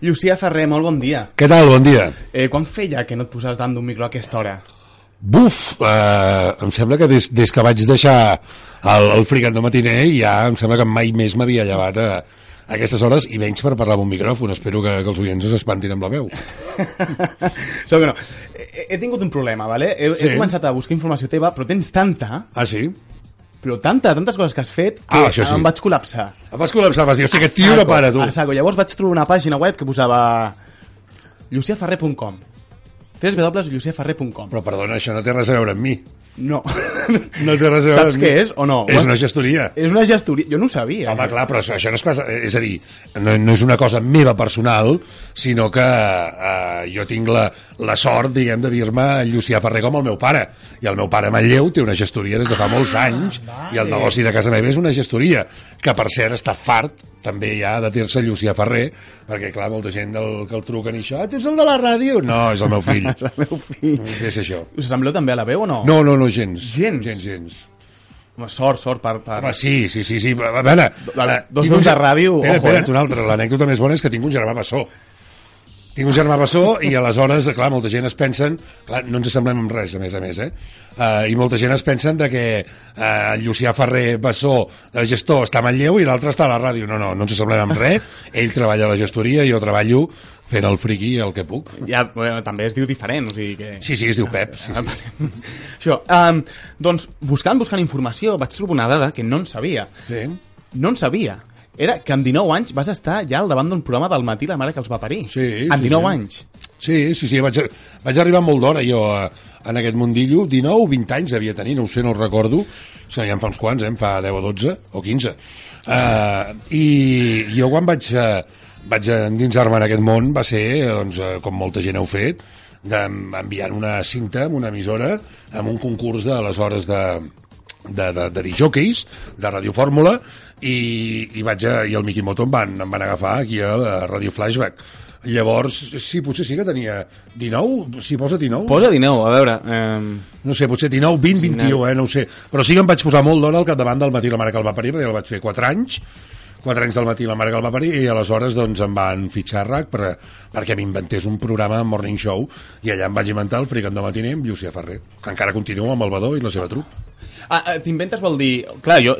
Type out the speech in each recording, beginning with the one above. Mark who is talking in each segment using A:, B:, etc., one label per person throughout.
A: Llucià Ferrer, molt bon dia.
B: Què tal? Bon dia.
A: Quan feia que no et posaves davant d'un micro a aquesta hora?
B: Buf, em sembla que des que vaig deixar el Fricando Matiner ja em sembla que mai més m'havia llevat a aquestes hores i menys per parlar amb un micròfon. Espero que els oients no s'espantin amb la veu.
A: Segur que no. He tingut un problema, ¿vale? He començat a buscar informació teva, però tens tanta...
B: Ah, sí?
A: Però tantes coses que has fet que em vaig col·lapsar.
B: Em vas col·lapsar, vas dir, hosti, aquest tio no para, tu.
A: A saco. Llavors vaig trobar una pàgina web que posava luciaferrer.com www.luciaferrer.com.
B: Però perdona, això no té res a veure amb mi.
A: No.
B: No té res a veure
A: Saps què és o no?
B: És una gestoria.
A: És una gestoria. Jo no ho sabia.
B: Home, clar, però això no és cosa... És a dir, no és una cosa meva personal, sinó que jo tinc la sort, diguem, de dir-me Llucià Ferrer com el meu pare. I el meu pare Manlleu té una gestoria des de fa molts anys, i el negoci de casa meva és una gestoria, que per cert està fart també ja de dir-se Llucià Ferrer, perquè clar, molta gent que el truquen i això, tu ets el de la ràdio? No, és el meu fill.
A: És el meu fill.
B: Què és això?
A: Us sembleu també a la veu o no?
B: No, gens.
A: Gens. Home, sort per...
B: Home, sí. A veure...
A: Dos veus de ràdio, ojo,
B: espera't, una altra. L'anècdota més bona és que tinc un germà bessó. I aleshores, clar, molta gent es pensen... Clar, no ens semblem amb res, a més, I molta gent es pensen de que el Llucià Ferrer Bessó, el gestor, està a Manlleu i l'altre està a la ràdio. No ens semblem amb res. Ell treballa a la gestoria, jo treballo fent el friqui el que puc.
A: Ja, també es diu diferent, o sigui que...
B: Sí, es diu Pep. Sí.
A: Això, doncs, buscant informació, vaig trobar una dada que no en sabia.
B: Sí.
A: No en sabia. Era que amb 19 anys vas estar ja al davant d'un programa del matí la mare que els va parir.
B: Sí.
A: Amb 19 anys.
B: Sí, vaig arribar molt d'hora jo en aquest mundillo, 19 o 20 anys devia tenir, no ho sé, no ho recordo, o sigui, ja en fa uns quants, em fa 10 o 12 o 15. I jo quan vaig endinsar-me en aquest món va ser, doncs, com molta gent heu fet, enviant una cinta amb una emissora amb un concurs d'aleshores de disjòqueis de Radio Fórmula i el Miki Moto em van agafar aquí a la Radio Flashback. Llavors, sí, potser sí que tenia 19, si posa 19.
A: Posa 19, a veure...
B: No sé, potser 19, 20, 21, no ho sé. Però sí que em vaig posar molt d'hora al capdavant del matí la mare que el va parir, perquè el vaig fer 4 anys del matí la mare que el va parir, i aleshores doncs em van fitxar a RAC perquè m'inventés un programa Morning Show, i allà em vaig inventar el Fricando Matiner amb Llucià Ferrer, que encara continua amb el Badó i la seva trup.
A: T'inventes vol dir... Clar, jo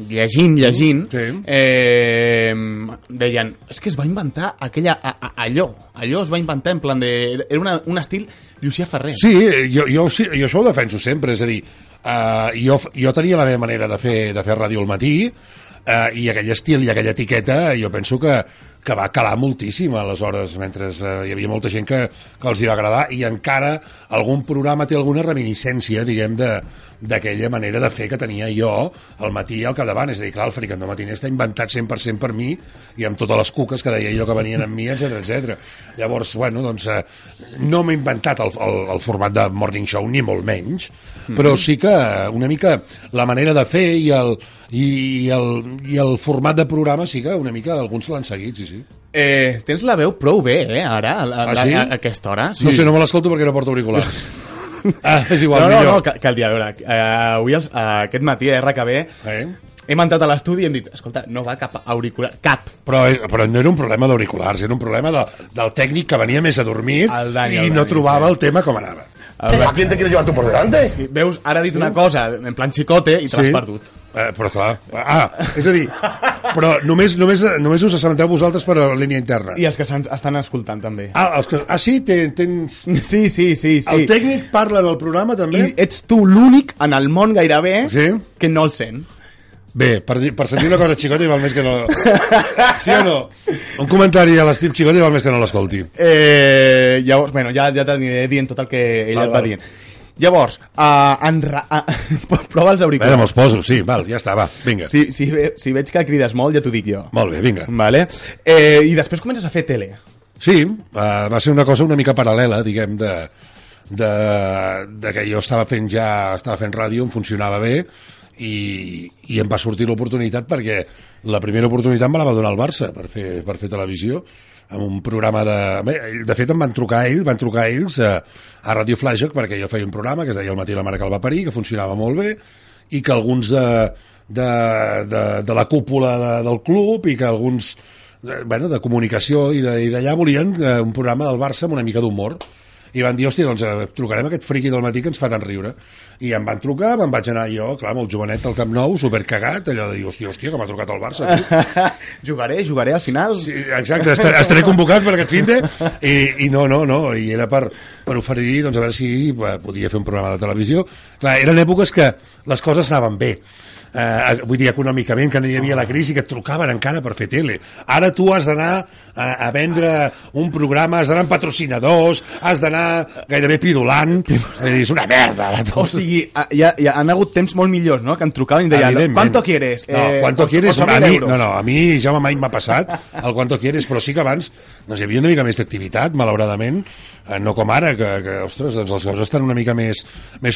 A: llegint
B: sí.
A: Deien, és que es va inventar allò es va inventar en plan de... Era un estil Llucià Ferrer.
B: Sí, jo això ho defenso sempre, és a dir, jo tenia la meva manera de fer ràdio al matí, i aquell estil i aquella etiqueta jo penso que va calar moltíssim aleshores, mentre hi havia molta gent que els hi va agradar, i encara algun programa té alguna reminiscència, diguem, d'aquella manera de fer que tenia jo al matí al capdavant. És a dir, clar, el Fricando Matiner està inventat 100% per mi, i amb totes les cuques que deia jo que venien amb mi, etc. Llavors, bueno, doncs no m'he inventat el format de Morning Show, ni molt menys, però sí que una mica la manera de fer i el format de programa sí que una mica alguns l'han seguit, sí.
A: Tens la veu prou bé, ara,
B: sí?
A: A aquesta hora. Sí.
B: No sé, no me l'escolto perquè no porto auriculars. És igual, millor.
A: No, cal dir, a veure, avui aquest matí a RKB hem entrat a l'estudi i hem dit, escolta, no va cap auricular, cap.
B: Però no era un problema d'auriculars, era un problema del tècnic que venia més adormit i no trobava el tema com anava.
C: ¿A quién te quieres llevar tú por delante?
A: Sí, veus, ara ha dit una cosa en plan xicote i te l'has perdut.
B: Però clar, és a dir, però només us assabenteu vosaltres per la línia interna.
A: I els que estan escoltant també.
B: Sí? Tens...
A: Sí.
B: El tècnic parla en el programa també?
A: I ets tu l'únic en el món gairebé que no el sent.
B: Bé, per sentir una cosa xicote val més que no... Sí o no? Un comentari a l'estil xicote val més que no l'escolti.
A: Llavors, bueno, ja t'aniré dient tot el que ell et va dient. Llavors, prova els auriculars.
B: Me'ls poso, sí, ja està, va, vinga.
A: Si veig que crides molt, ja t'ho dic jo.
B: Molt bé, vinga.
A: Vale. I després comences a fer tele.
B: Sí, va ser una cosa una mica paral·lela, diguem, de que jo estava fent ràdio, em funcionava bé, i em va sortir l'oportunitat perquè la primera oportunitat me la va donar el Barça per fer televisió amb un programa de fet em van trucar ells a Radio Flashback perquè jo feia un programa que es deia El matí la mare que el va parir, que funcionava molt bé i que alguns de la cúpula del club i que alguns de comunicació, i d'allà volien un programa del Barça amb una mica d'humor. I van dir, hòstia, doncs trucarem a aquest friqui del matí que ens fa tant riure. I em van trucar, me'n vaig anar jo, clar, molt jovenet al Camp Nou, supercagat, allò de dir, hòstia, que m'ha trucat el Barça.
A: Jugaré al final.
B: Sí, exacte, estaré convocat per aquest finde, i no, i era per oferir, doncs, a veure si podia fer un programa de televisió. Clar, eren èpoques que les coses anaven bé. Vull dir, econòmicament, que no hi havia la crisi, que et trucaven encara per fer tele. Ara tu has d'anar a vendre un programa, has d'anar amb patrocinadors, has d'anar gairebé pidolant. És una merda.
A: O sigui, han hagut temps molt millors, no?, que em trucaven i deien, ¿cuánto quieres?
B: No, ¿cuánto quieres? A mi ja mai m'ha passat el ¿cuánto quieres? Però sí que abans hi havia una mica més d'activitat, malauradament, no com ara, que ostres, doncs les coses estan una mica més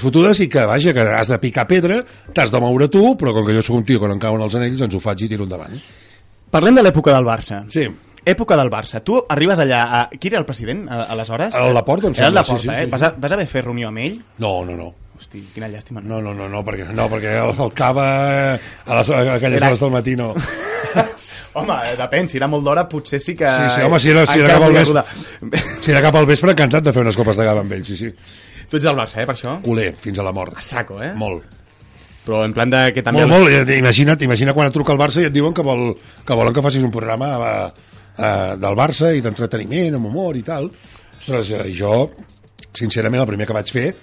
B: fotudes, i que, vaja, que has de picar pedra, t'has de moure tu, però com que jo sóc un tio que no em cauen els anells, doncs ho faig i tiro endavant.
A: Parlem de l'època del Barça.
B: Sí.
A: Època del Barça. Tu arribes allà... Qui era el president, aleshores?
B: El Laporta, em sembla.
A: Era el Laporta, sí. Vas haver fer reunió amb ell?
B: No.
A: Hosti, quina llàstima.
B: No, perquè el cava a aquelles hores del matí no.
A: Home, depèn, si era molt d'hora potser sí que...
B: Sí, home, si era cap al vespre, encantat de fer unes copes de cava amb ell, sí.
A: Tu ets del Barça, per això?
B: Culer, fins a la mort.
A: A saco,
B: Molt.
A: Però en plan de que també...
B: Molt. Imagina quan et truca el Barça i et diuen que volen que facis un programa del Barça i d'entreteniment, amb humor i tal. Ostres, jo, sincerament, el primer que vaig fer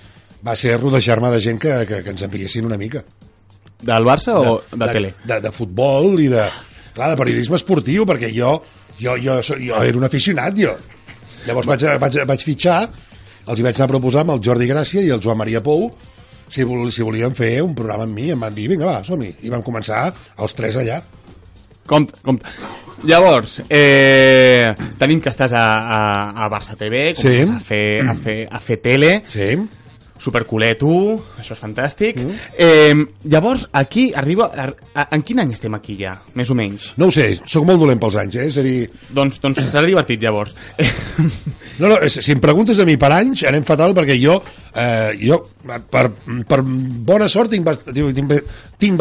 B: va ser rodejar-me de gent que ens enviessin una mica.
A: Del Barça o de tele?
B: De futbol i de periodisme esportiu, perquè jo era un aficionat, jo. Llavors vaig fitxar, els hi vaig anar a proposar amb el Jordi Gràcia i el Joan Maria Pou si volien fer un programa amb mi. Em van dir, vinga, va, som-hi. I vam començar els tres allà.
A: Compte. Llavors, tenim que estàs a Barça TV, comences a fer tele.
B: Sí.
A: Superculer tu, això és fantàstic. Llavors, aquí arriba... En quin any estem aquí ja, més o menys?
B: No ho sé, sóc molt dolent pels anys, és a dir...
A: Doncs serà divertit, llavors.
B: No, si em preguntes a mi per anys, anem fatal, perquè jo per bona sort tinc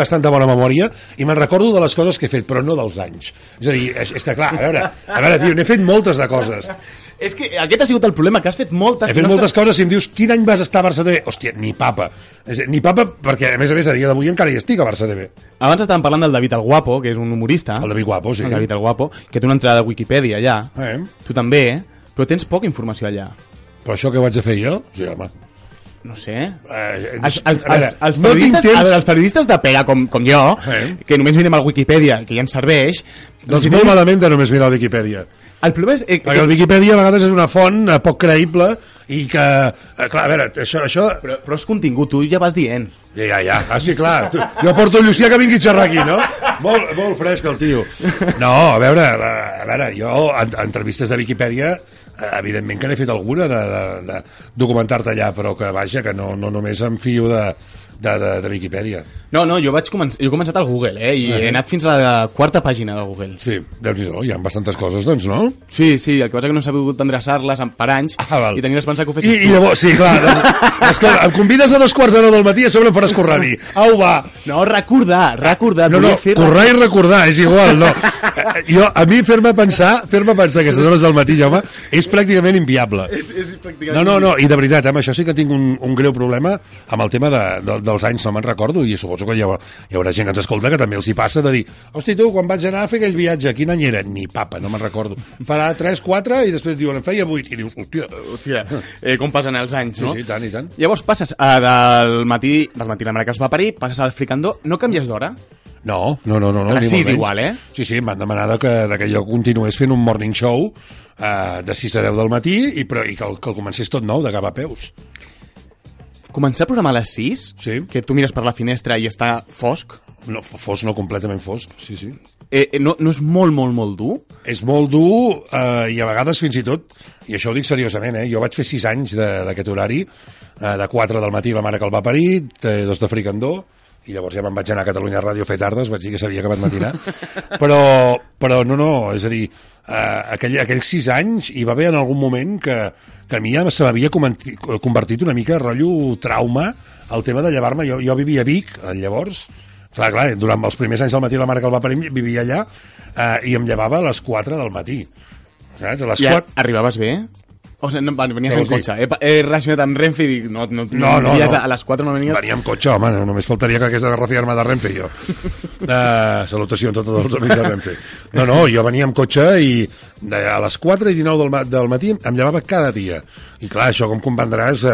B: bastanta bona memòria i me'n recordo de les coses que he fet, però no dels anys. És a dir, és que clar, a veure, tio, n'he fet moltes de coses.
A: És que aquest ha sigut el problema, que has fet moltes...
B: He fet moltes coses, si em dius quin any vas estar a Barça TV, hòstia, ni papa, perquè a més a dia d'avui encara hi estic a Barça TV.
A: Abans estàvem parlant del David el Guapo, que és un humorista.
B: El David Guapo, sí.
A: El David el Guapo, que té una entrada de Wikipedia allà. Tu també, però tens poca informació allà.
B: Però això que vaig a fer jo? Sí, home.
A: No sé. Els periodistes de pega, com jo, que només mirem al Wikipedia, que ja ens serveix...
B: Doncs molt malament de només mirar el Wikipedia.
A: El problema és...
B: Perquè el Wikipedia a vegades és una font poc creïble i que... Clar, a veure, això...
A: Però és contingut, tu ja vas dient.
B: Ja. Sí, clar. Jo porto Llucià que vingui a xerrar aquí, no? Molt fresc el tio. No, a veure, jo, entrevistes de Wikipedia, evidentment que n'he fet alguna de documentar-te allà, però que, vaja, que no només em fio de Wikipedia.
A: No, jo he començat al Google, i he anat fins a la quarta pàgina de Google.
B: Sí, Déu-n'hi-do, hi ha bastantes coses, doncs, no?
A: Sí, el que passa que no he sabut endreçar-les per anys i tenia l'esperança que ho fessis
B: tu. I llavors, sí, clar, escolta, em convides a 2:15 del matí i a sobre em faràs currar a mi. Au, va!
A: No, recordar.
B: No, currar i recordar, és igual, no. A mi fer-me pensar que aquestes hores del matí, home, és pràcticament inviable.
A: És pràcticament...
B: No, i de veritat, amb això sí que tinc un greu problema amb el tema dels anys, no me'n recordo, i suposo que hi haurà gent que ens escolta que també els hi passa de dir, hosti, tu, quan vaig anar a fer aquell viatge, quin any era? Ni papa, no me'n recordo. Farà 3, 4, i després diuen, en feia 8, i dius, hòstia,
A: com passen els anys, no?
B: Sí, i tant.
A: Llavors passes del matí la mare que es va parir, passes al fricandó, no canvies d'hora?
B: No.
A: A les 6 igual,
B: Sí, em van demanar que jo continués fent un morning show de 6 a 10 del matí i que el comencés tot nou, de cap a peus.
A: Començar a programar a les 6?
B: Sí.
A: Que tu mires per la finestra i està fosc?
B: No, fosc no, completament fosc, sí.
A: No és molt dur?
B: És molt dur i a vegades fins i tot, i això ho dic seriosament, jo vaig fer 6 anys d'aquest horari, de 4 del matí la mare que el va parir, 2 de fricandó, i llavors ja me'n vaig anar a Catalunya Ràdio a fer tardes, vaig dir que s'havia acabat matinar, però no, és a dir, aquells 6 anys hi va haver en algun moment que a mi ja se m'havia convertit una mica rotllo trauma el tema de llevar-me. Jo vivia a Vic, llavors, Clar, durant els primers anys del matí la mare que el va parir vivia allà i em llevava a les 4 del matí. Saps? A les 4...
A: Arribaves bé? O sigui, no, venies en cotxe. He relacionat amb Renfe i dic, no, a les 4 no venies...
B: Venia amb cotxe, home, només faltaria que hagués de refiar-me de Renfe, jo. Salutacions a tots els amics de Renfe. No, jo venia amb cotxe i a les 4:19 del matí em llevava cada dia. I clar, això, com comprendràs,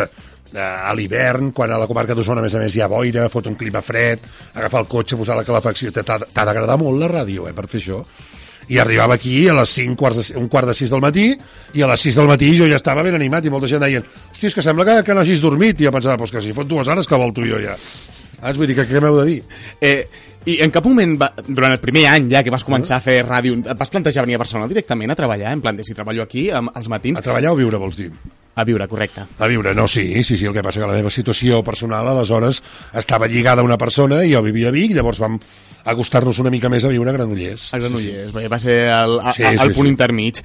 B: a l'hivern, quan a la comarca d'Osona, a més hi ha boira, fot un clima fred, agafar el cotxe, posar la calefacció... T'ha d'agradar molt la ràdio, per fer això. I arribava aquí a les 5:45 del matí i a les 6 del matí jo ja estava ben animat i molta gent deien, hosti, és que sembla que no hagis dormit. I jo pensava, pues que si fot 2 hores que vol tu i jo ja. Vull dir, què m'heu de dir?
A: I en cap moment, durant el primer any ja que vas començar a fer ràdio, et vas plantejar venir a Barcelona directament a treballar? En plan de si treballo aquí als matins?
B: A treballar o viure, vols dir?
A: A viure, correcte.
B: A viure, no, sí, el que passa que la meva situació personal aleshores estava lligada a una persona i jo vivia a Vic, llavors vam acostar-nos una mica més a viure a Granollers.
A: A Granollers, va ser el punt intermig.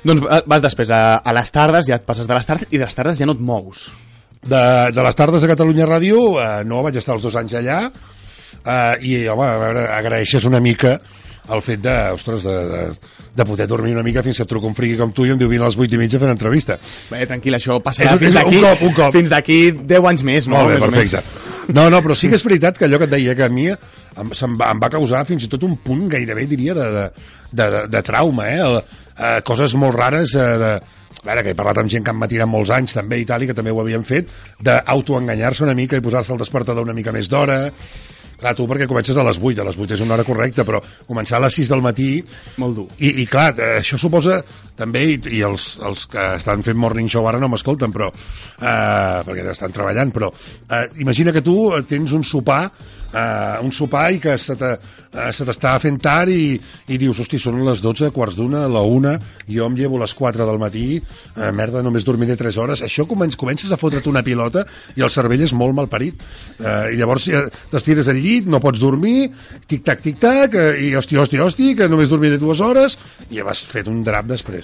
A: Doncs vas després a les tardes, ja et passes de les tardes, i de les tardes ja no et mous.
B: De les tardes de Catalunya Ràdio, no, vaig estar els 2 anys allà, i, home, a veure, agraeixes una mica el fet de poder dormir una mica fins que et truca un friqui com tu i em diu vine a les 8:30 a fer una entrevista.
A: Bé, tranquil, això passarà fins d'aquí 10 anys més, no?
B: Molt bé, perfecte. No, però sí que és veritat que allò que et deia, que a mi em va causar fins i tot un punt gairebé, diria, de trauma, coses molt rares, a veure, que he parlat amb gent que em va tirar molts anys també i tal, i que també ho havien fet, d'autoenganyar-se una mica i posar-se el despertador una mica més d'hora. Clar, tu perquè comences a les 8 és una hora correcta, però començar a les 6 del matí...
A: Molt dur.
B: I clar, això suposa també, i els que estan fent morning show ara no m'escolten, però perquè estan treballant, però imagina que tu tens un sopar i que se t'està fent tard i dius, hosti, són les 12, quarts d'una, la 1, jo em llevo a les 4 del matí, merda, només dormiré 3 hores. Això comences a fotre't una pilota i el cervell és molt malparit. I llavors t'estires al llit, no pots dormir, tic-tac, i hosti, que només dormiré 2 hores, i ja vas fet un drap després.